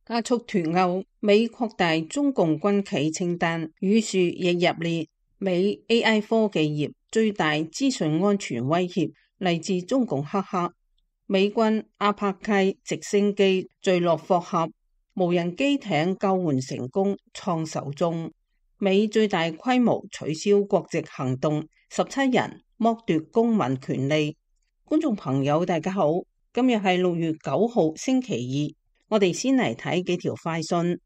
加速脫歐，美擴大中共軍企清單，宇樹亦入列。美 AI 科技業最大資訊安全威脅嚟自中共黑客。美軍阿帕契直升機墜落霍合，無人機艇救援成功創首宗。美最大規模取消國籍行動，17人剝奪公民權利。觀眾朋友大家好，今日係6月9號星期二。我哋先嚟睇幾條快訊。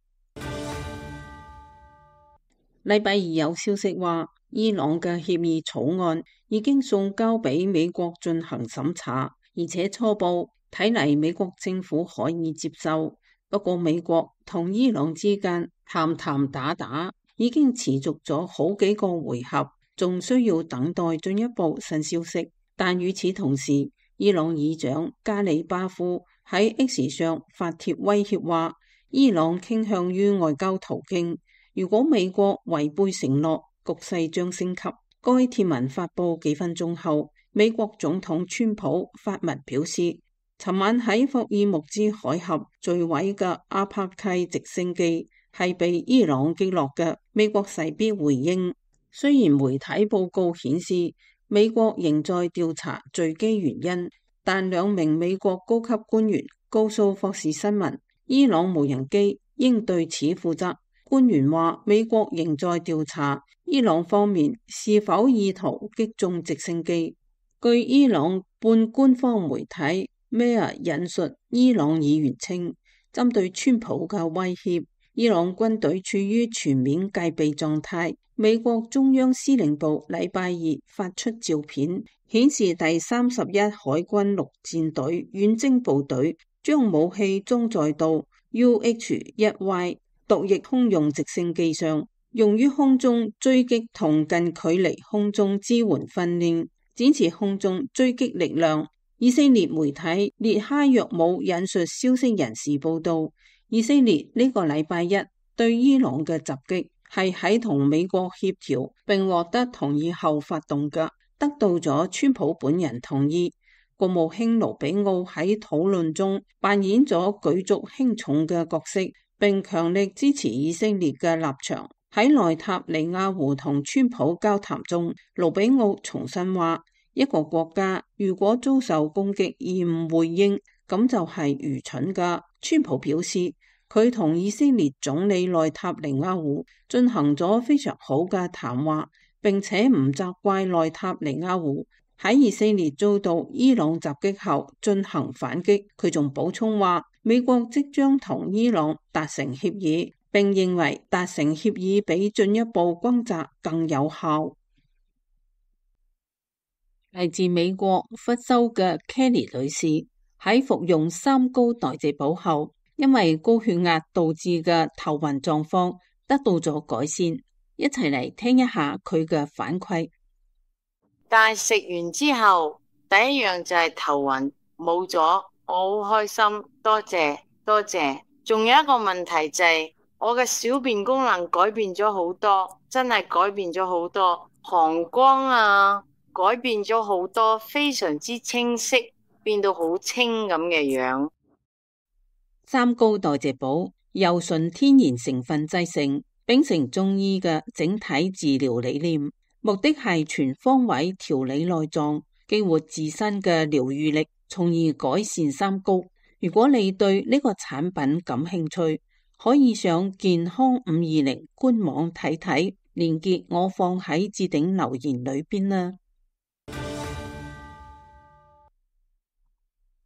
禮拜二有消息話，伊朗嘅協議草案已經送交俾美國進行審查，而且初步睇嚟美國政府可以接受。不過美國同伊朗之間談談打打已經持續咗好幾個回合，仲需要等待進一步新消息。但與此同時，伊朗議長加里巴夫喺 X 上發帖威脅話，伊朗傾向於外交途徑，如果美國違背承諾，局勢將升級。該帖文發布幾分鐘後，美國總統川普發文表示，尋晚喺霍爾木茲海峽墜毀嘅阿帕契直升機係被伊朗擊落嘅。美國勢必回應，雖然媒體報告顯示美國仍在調查墜機原因，但2名美國高級官員告訴霍士新聞，伊朗無人機應對此負責。官員話，美國仍在調查伊朗方面是否意圖擊中直升機。據伊朗半官方媒體 Mehr 引述伊朗議員稱，針對川普嘅威脅，伊朗軍隊處於全面戒備狀態。美國中央司令部禮拜二發出照片，顯示第31海軍陸戰隊遠征部隊將武器裝載到 UH-1Y 毒液空用直升機上，用於空中追擊同近距離空中支援訓練，展示空中追擊力量。以色列媒體列哈約姆引述消息人士報道，以色列呢個禮拜一對伊朗嘅襲擊係喺同美國協調並獲得同意後發動嘅，得到咗川普本人同意。國務卿盧比奧喺討論中扮演咗舉足輕重嘅角色，並強力支持以色列嘅立場。喺內塔尼亞胡同川普交談中，盧比奧重申話，一個國家如果遭受攻擊而唔回應，咁就係愚蠢噶。川普表示，佢同以色列總理內塔尼亞胡進行咗非常好嘅談話，並且唔責怪內塔尼亞胡喺以色列遭到伊朗襲擊後進行反擊。佢仲補充話，美國即將同伊朗達成協議，並認為達成協議比進一步轟炸更有效。嚟自美國福州嘅 Kelly 女士喺服用3高代謝寶後，因為高血壓導致嘅頭暈狀況得到咗改善，一齊嚟聽一下佢嘅反饋。但係食完之後，第一樣就係頭暈冇咗，我好開心，多謝多謝。仲有一個問題就係我嘅小便功能改變咗好多，真係改變咗好多，膀胱啊改變咗好多，非常之清晰，變到好清咁嘅樣。3高代謝寶由純天然成分製成，秉承中醫嘅整體治療理念，目的係全方位調理內臟，激活自身嘅療癒力，從而改善3高。如果你對呢個產品感興趣，可以上健康520官網睇睇，連結我放喺置頂留言裏邊啦。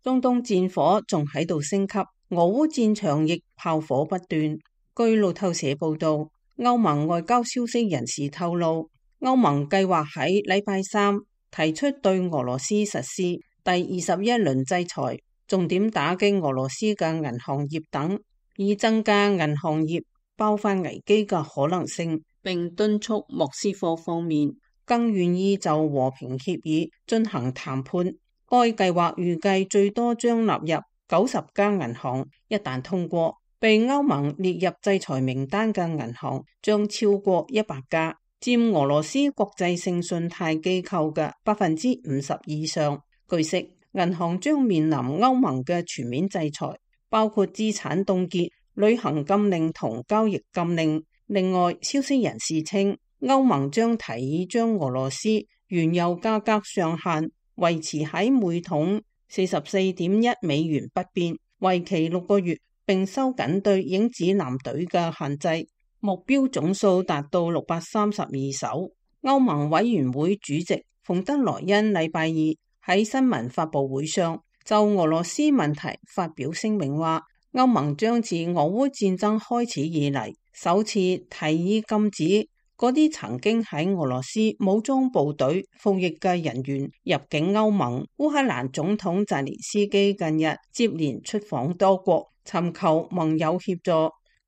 中東戰火仲喺度升級，俄烏戰場亦炮火不斷。據路透社報道，歐盟外交消息人士透露，歐盟計劃喺禮拜3提出對俄羅斯實施第21輪制裁，重點打擊俄羅斯嘅銀行業等，以增加銀行業爆發危機嘅可能性，並敦促莫斯科方面更願意就和平協議進行談判。該計劃預計最多將納入90家銀行，一旦通過，被歐盟列入制裁名單嘅銀行將超過100家，佔俄羅斯國際性信貸機構嘅50%以上。據悉，銀行將面臨歐盟嘅全面制裁，包括資產凍結旅行禁令同交易禁令。另外，消息人士稱，歐盟將提議將俄羅斯原油價格上限維持喺每桶44.1美元不變，為期6個月，並收緊對影子艦隊嘅限制，目標總數達到632艘。歐盟委員會主席馮德萊恩禮拜二喺新聞發佈會上就俄羅斯問題發表聲明話，歐盟將自俄烏戰爭開始以嚟首次提議禁止嗰啲曾經喺俄羅斯武裝部隊服役嘅人員入境歐盟。烏克蘭總統澤連斯基近日接連出訪多國，尋求盟友協助。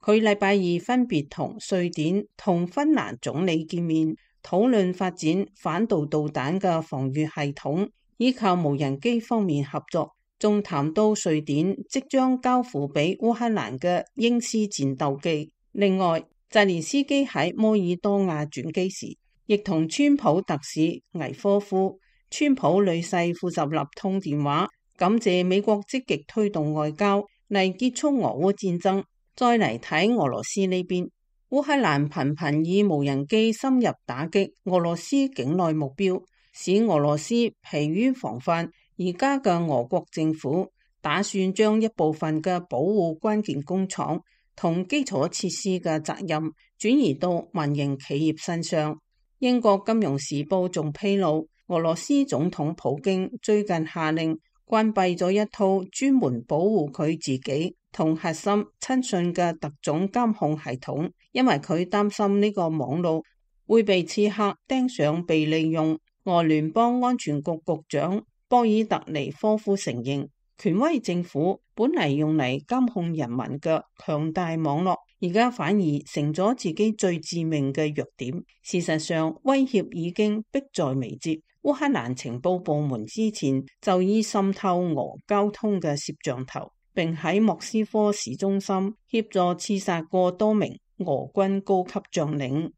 佢禮拜二分別同瑞典同芬蘭總理見面，討論發展反導導彈嘅防禦系統，以及無人機方面合作，仲談到瑞典即將交付俾烏克蘭嘅鷹獅戰鬥機。另外，澤連斯基喺摩爾多瓦轉機時，亦同川普特使魏科夫、川普女婿庫什納通電話，感謝美國積極推動外交嚟結束俄烏戰爭。再嚟睇俄羅斯呢邊，烏克蘭頻頻以無人機深入打擊俄羅斯境內目標，使俄羅斯疲於防範。而家嘅俄國政府打算將一部分嘅保護關鍵工廠同基礎設施嘅責任轉移到民營企業身上。英國金融時報仲披露，俄羅斯總統普京最近下令關閉咗一套專門保護佢自己同核心親信嘅特種監控系統，因為佢擔心呢個網絡會被刺客盯上被利用。俄聯邦安全局局長波爾特尼科夫承認，權威政府本嚟用嚟監控人民嘅強大網絡，而家反而成咗自己最致命嘅弱點。事實上，威脅已經迫在眉睫。烏克蘭情報部門之前就已滲透俄交通嘅攝像頭，並喺莫斯科市中心協助刺殺過多名俄軍高級將領。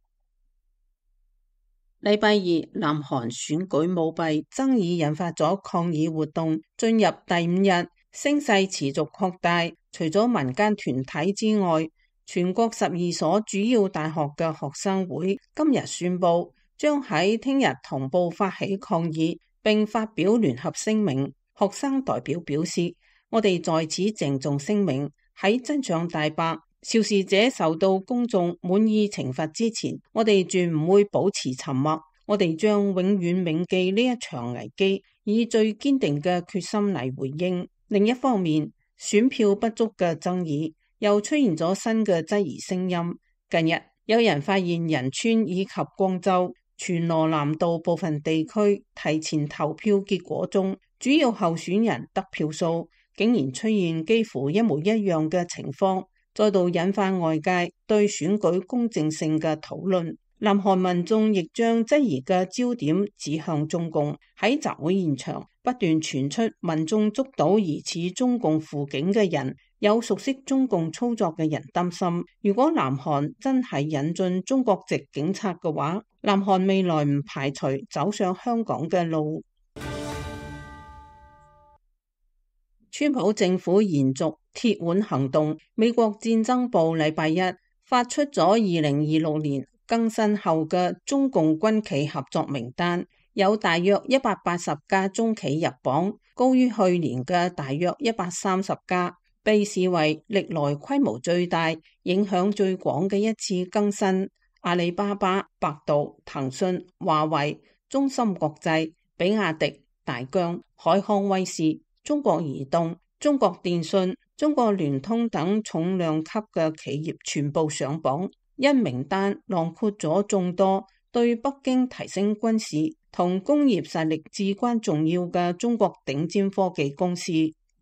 禮拜二，南韓選舉舞弊爭議引發咗抗議活動，進入第5日，聲勢持續擴大。除咗民間團體之外，全國12所主要大學嘅學生會今日宣布，將喺聽日同步發起抗議，並發表聯合聲明。學生代表表示，我哋在此鄭重聲明，喺真相大白，肇事者受到公眾滿意懲罰之前，我哋絕唔會保持沉默。我哋將永遠銘記呢一場危機，以最堅定嘅決心嚟回應。另一方面，選票不足嘅爭議又出現咗新嘅質疑聲音。近日，有人發現仁川以及光州、全羅南道部分地區提前投票結果中，主要候選人得票數竟然出現幾乎一模一樣嘅情況，再度引發外界對選舉公正性嘅討論。南韓民眾亦將質疑嘅焦點指向中共。喺集會現場不斷傳出民眾捉到疑似中共輔警嘅人，有熟悉中共操作嘅人擔心，如果南韓真係引進中國籍警察嘅話，南韓未來唔排除走上香港嘅路。川普政府延續鐵腕行動，美國戰爭部禮拜一發出咗2026年更新後嘅中共軍企合作名單，有大約180家中企入榜，高於去年嘅大約130家，被視為歷來規模最大、影響最廣嘅一次更新。阿里巴巴、百度、騰訊、華為、中芯國際、比亞迪、大疆、海康威視、中國移動、中國電信、中國聯通等重量級嘅企業全部上榜。因名單囊括咗眾多對北京提升軍事同工業實力至關重要嘅中國頂尖科技公司，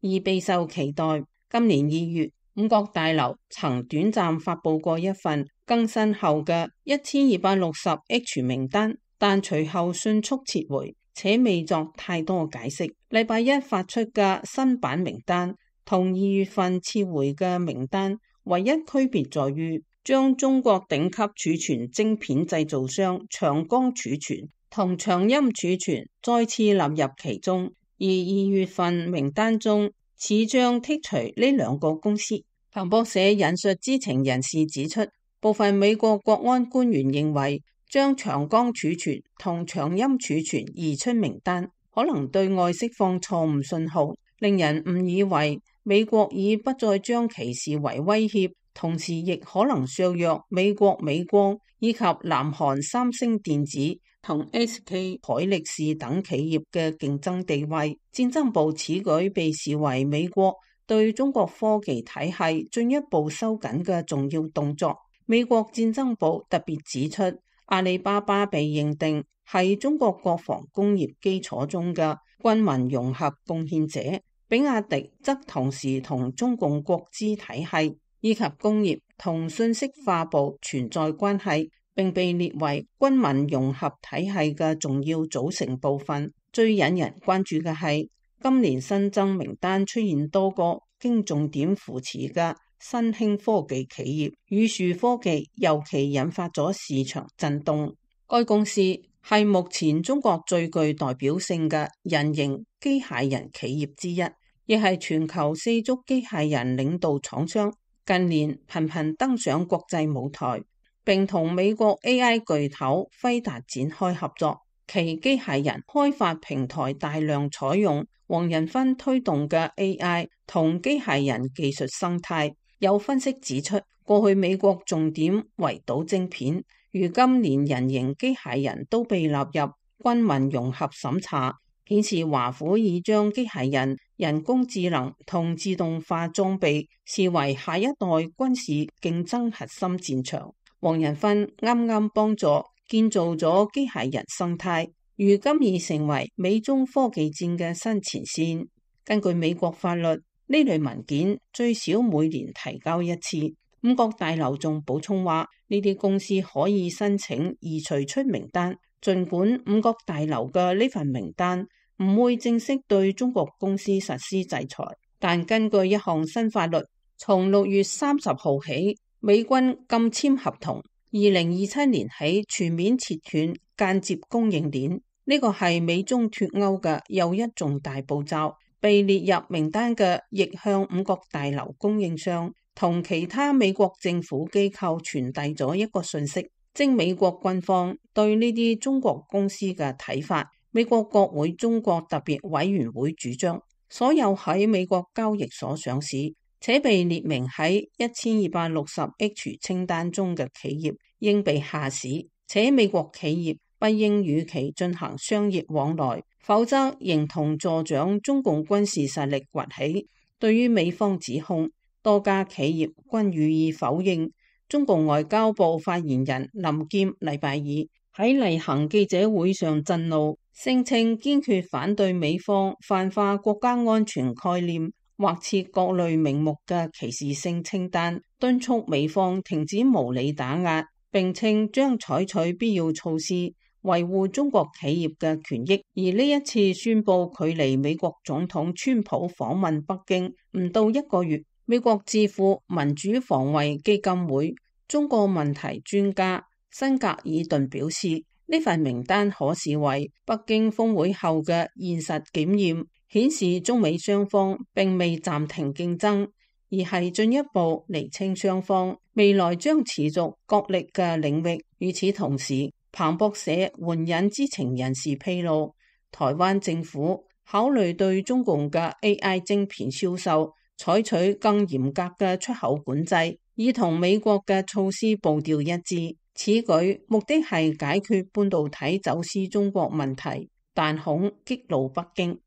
而備受期待。今年2月，五角大樓曾短暫發佈過一份更新後嘅1260H 名單，但隨後迅速撤回，且未作太多解釋。禮拜一發出嘅新版名單同2月份撤回嘅名單唯一區別在於，將中國頂級儲存晶片製造商長江儲存同長鑫儲存再次納入其中，而2月份名單中似將剔除呢兩個公司。彭博社引述知情人士指出，部分美國國安官員認為將長江儲存同長鑫儲存移出名單，可能對外釋放錯誤信號，令人誤以為美國已不再將其視為威脅，同時亦可能削弱美國美光以及南韓三星電子同 SK 海力士等企業嘅競爭地位。戰爭部此舉被視為美國對中國科技體系進一步收緊嘅重要動作。美國戰爭部特別指出，阿里巴巴被認定係中國國防工業基礎中嘅軍民融合貢獻者，比亞迪則同時同中共國資體系以及工業同信息化部存在關係，並被列為軍民融合體系嘅重要組成部分。最引人關注嘅係，今年新增名單出現多個經重點扶持嘅新興科技企業，宇樹科技尤其引發咗市場震動。該公司係目前中國最具代表性嘅人形機械人企業之一，亦係全球四足機械人領導廠商，近年頻頻登上國際舞台，並同美國 AI 巨頭輝達展開合作。其機械人開發平台大量採用黃仁勳推動嘅 AI 同機械人技術生態。有分析指出，過去美國重點圍堵晶片，如今連人形機械人都被納入軍民融合審查，顯示華府已將機械人、人工智能同自動化裝備視為下一代軍事競爭核心戰場。黃仁勳啱啱幫助建造咗機械人生態，如今已成為美中科技戰嘅新前線。根據美國法律，呢類文件最少每年提交一次。五角大樓仲補充話，呢啲公司可以申請移除出名單，儘管五角大樓嘅呢份名單唔會正式對中國公司實施制裁，但根據一項新法律，從6月30號起，美軍禁簽合同，2027年起全面切斷間接供應鏈。呢個係美中脫歐嘅又一重大步驟。被列入名單嘅亦向五角大樓供應商同其他美國政府機構傳遞咗一個訊息，即美國軍方對呢啲中國公司嘅睇法。美國國會中國特別委員會主張，所有喺美國交易所上市且被列明喺1260H 清單中嘅企業應被下市，且美國企業不應與其進行商業往來，否則形同助長中共軍事實力崛起。對於美方指控，多家企業均予以否認。中共外交部發言人林劍禮拜二喺例行記者會上震怒，聲稱堅決反對美方泛化國家安全概念，或設各類名目嘅歧視性清單，敦促美方停止無理打壓，並稱將採取必要措施維護中國企業嘅權益。而呢一次宣布距離美國總統川普訪問北京唔到1個月，美國智庫民主防衛基金會中國問題專家辛格爾頓表示，呢份名單可視為北京峰會後嘅現實檢驗，顯示中美雙方並未暫停競爭，而係進一步釐清雙方未來將持續角力嘅領域。與此同時，彭博社援引知情人士披露，台灣政府考慮對中共嘅 AI 晶片銷售採取更嚴格嘅出口管制，以同美國嘅措施步調一致。此舉目的係解決半導體走私中國問題，但恐激怒北京。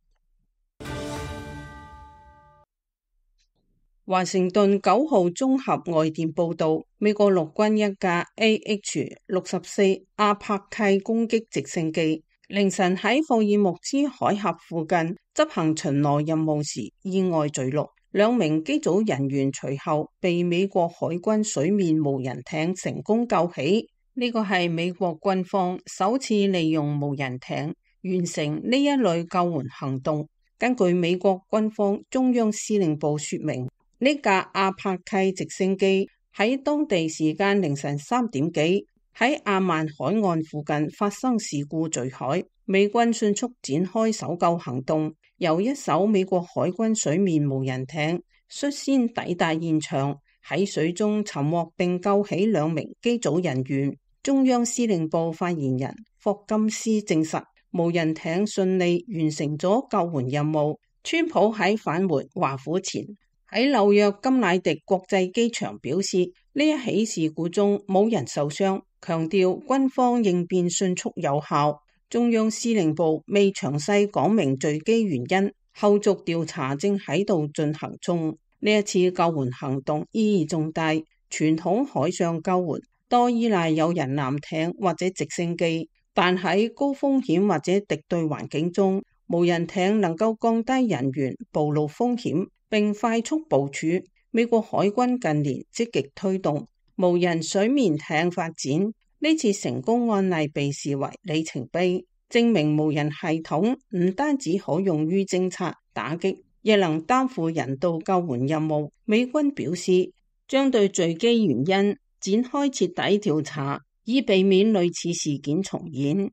華盛頓9號綜合外電報道，美國陸軍一架 AH-64 阿帕契攻擊直升機凌晨喺霍爾木茲海峽附近執行巡邏任務時意外墜落，2名機組人員隨後被美國海軍水面無人艇成功救起。呢個係美國軍方首次利用無人艇完成呢一類救援行動。根據美國軍方中央司令部說明，呢架阿帕契直升機喺當地時間凌晨3點幾喺亞曼海岸附近發生事故墜海，美軍迅速展開搜救行動，由一艘美國海軍水面無人艇率先抵達現場，喺水中尋獲並救起2名機組人員。中央司令部發言人霍金斯證實，無人艇順利完成咗救援任務。川普喺返回華府前，喺紐約金乃迪國際機場表示，呢一起事故中冇人受傷，強調軍方應變迅速有效。中央司令部未詳細講明墜機原因，後續調查正喺度進行中。呢一次救援行動意義重大，傳統海上救援多依賴有人艦艇或者直升機，但喺高風險或者敵對環境中，無人艇能夠降低人員暴露風險並快速部署。美國海軍近年積極推動無人水面艇發展，呢次成功案例被視為里程碑，證明無人系統唔單止可用於偵察打擊，亦能擔負人道救援任務。美軍表示將對墜機原因展開徹底調查，以避免類似事件重演。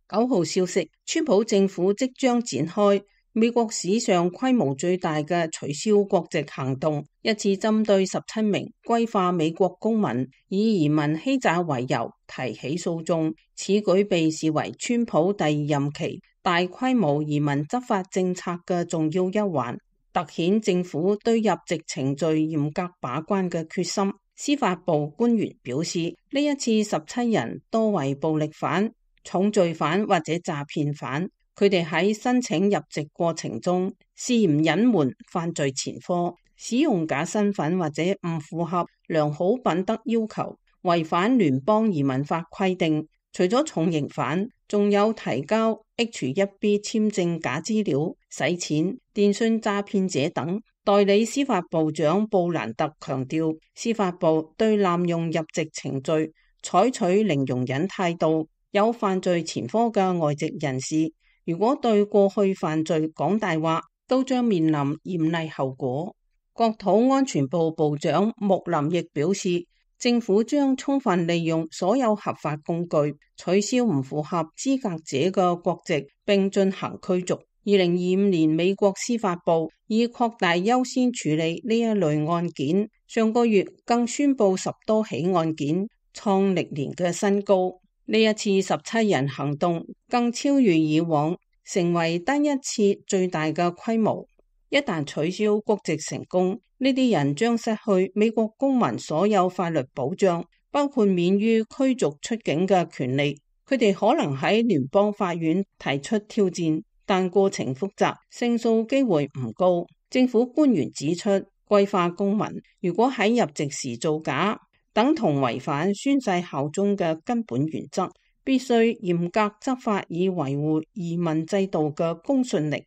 9號消息，川普政府即將展開美國史上規模最大嘅取消國籍行動，一次針對17名歸化美國公民以移民欺詐為由提起訴訟。此舉被視為川普第2任期大規模移民執法政策嘅重要一環，凸顯政府對入籍程序嚴格把關嘅決心。司法部官員表示，呢一次17人多為暴力犯、重罪犯或者詐騙犯，佢哋喺申請入籍過程中涉嫌隱瞞犯罪前科，使用假身份或者唔符合良好品德要求，違反聯邦移民法規定。除咗重刑犯，仲有提交 H-1B 簽證假資料、洗錢、電信詐騙者等。代理司法部長布蘭特強調，司法部對濫用入籍程序採取零容忍態度。有犯罪前科嘅外籍人士，如果對過去犯罪講大話，都將面臨嚴厲後果。國土安全部部長穆林亦表示，政府將充分利用所有合法工具，取消唔符合資格者嘅國籍，並進行驅逐。2025年，美國司法部以擴大優先處理呢一類案件，上個月更宣布10多起案件，創歷年嘅新高。呢一次17人行動更超越以往，成為單一次最大嘅規模。一旦取消國籍成功，呢啲人將失去美國公民所有法律保障，包括免於驅逐出境嘅權利。佢哋可能喺聯邦法院提出挑戰，但過程複雜，勝訴機會唔高。政府官員指出，歸化公民如果喺入籍時造假，等同違反宣誓效忠嘅根本原則，必須嚴格執法以維護移民制度嘅公信力。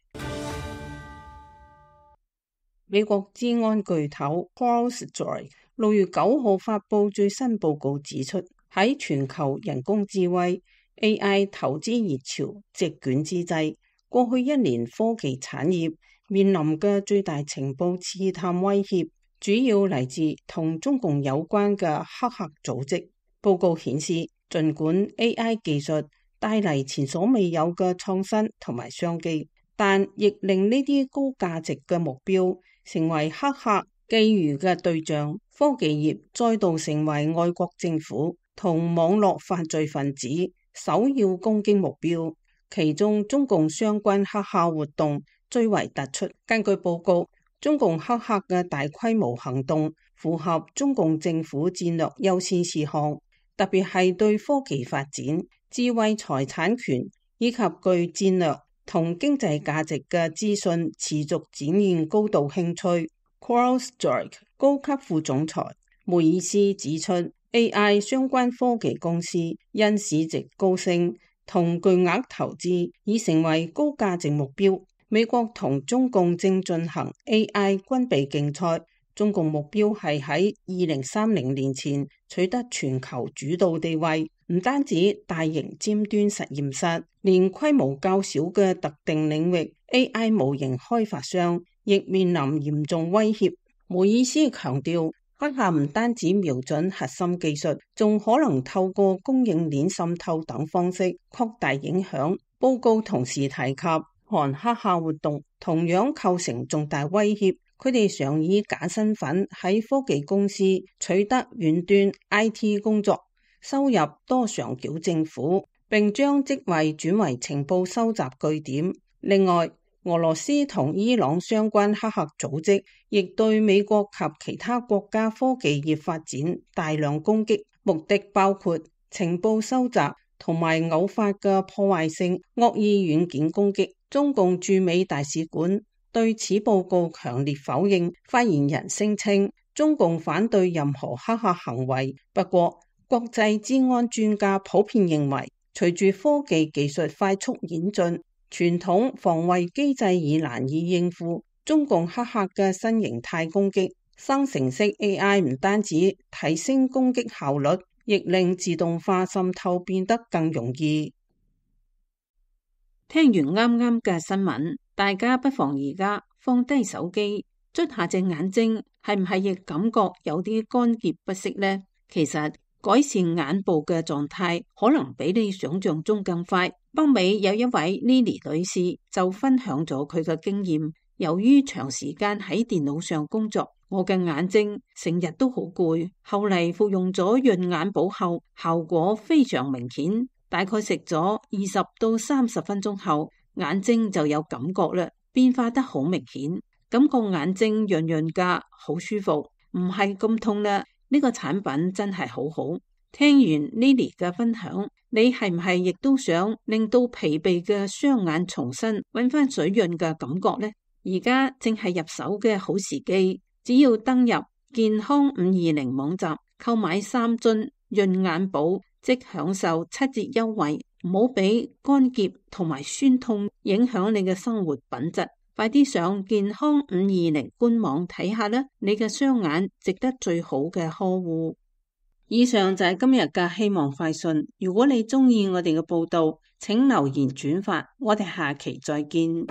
美國資安巨頭 CrowdStrike 6月9號發布最新報告指出，喺全球人工智慧 AI 投資熱潮席捲之際，過去1年科技產業面臨嘅最大情報刺探威脅，主要嚟自同中共有關嘅黑客組織。報告顯示，儘管 AI 技術帶嚟前所未有嘅創新同埋商機，但亦令呢啲高價值嘅目標成為黑客覬覦嘅對象。科技業再度成為外國政府同網絡犯罪分子首要攻擊目標，其中中共相關黑客活動最為突出。根據報告，中共黑客嘅大規模行動符合中共政府戰略優先事項，特別係對科技發展、智慧財產權以及具戰略同經濟價值嘅資訊持續展現高度興趣。CrowdStrike 高級副總裁梅爾斯指出， AI 相關科技公司因市值高升同巨額投資已成為高價值目標。美國同中共正進行 AI 軍備競賽，中共目標係喺2030年前取得全球主導地位。唔單止大型尖端實驗室，連規模較小嘅特定領域 AI 模型開發商亦面臨嚴重威脅。梅爾斯強調，黑客唔單止瞄準核心技術，仲可能透過供應鏈滲透等方式擴大影響。報告同時提及，韓黑客活動同樣構成重大威脅，佢哋常以假身份喺科技公司取得遠端 IT 工作，收入多上繳政府，並將職位轉為情報收集據點。另外，俄羅斯同伊朗相關黑客組織亦對美國及其他國家科技業發展大量攻擊，目的包括情報收集同埋偶發嘅破壞性惡意軟件攻擊。中共駐美大使館對此報告強烈否認，發言人聲稱中共反對任何黑客行為。不過，國際資安專家普遍認為，隨住科技技術快速演進，傳統防衛機制已難以應付中共黑客嘅新形態攻擊。生成式 AI 唔單止提升攻擊效率，亦令自動化滲透變得更容易。聽完啱啱嘅新聞，大家不妨而家放低手機，捽下隻眼睛，係唔係亦感覺有啲乾澀不適呢？其實改善眼部嘅狀態可能比你想象中更快。北美有一位 Lily 女士就分享咗佢嘅經驗，由於長時間喺電腦上工作，我嘅眼睛成日都好攰，後嚟服用咗潤眼寶後，效果非常明顯。大概食咗20到30分鐘後，眼睛就有感覺啦，變化得好明顯，感覺眼睛潤潤噶，好舒服，唔係咁痛啦。呢個產品真係好好。聽完 Lily 嘅分享，你係唔係亦都想令到疲憊嘅雙眼重新搵翻水潤嘅感覺呢？而家正係入手嘅好時機，只要登入健康520網站購買3樽潤眼寶，即享受7折優惠，唔好俾乾澀同埋酸痛影響你嘅生活品質。快啲上健康520官網睇下啦，你嘅雙眼值得最好嘅呵護。以上就係今日嘅希望快訊。如果你鍾意我哋嘅報道，請留言轉發，我哋下期再見。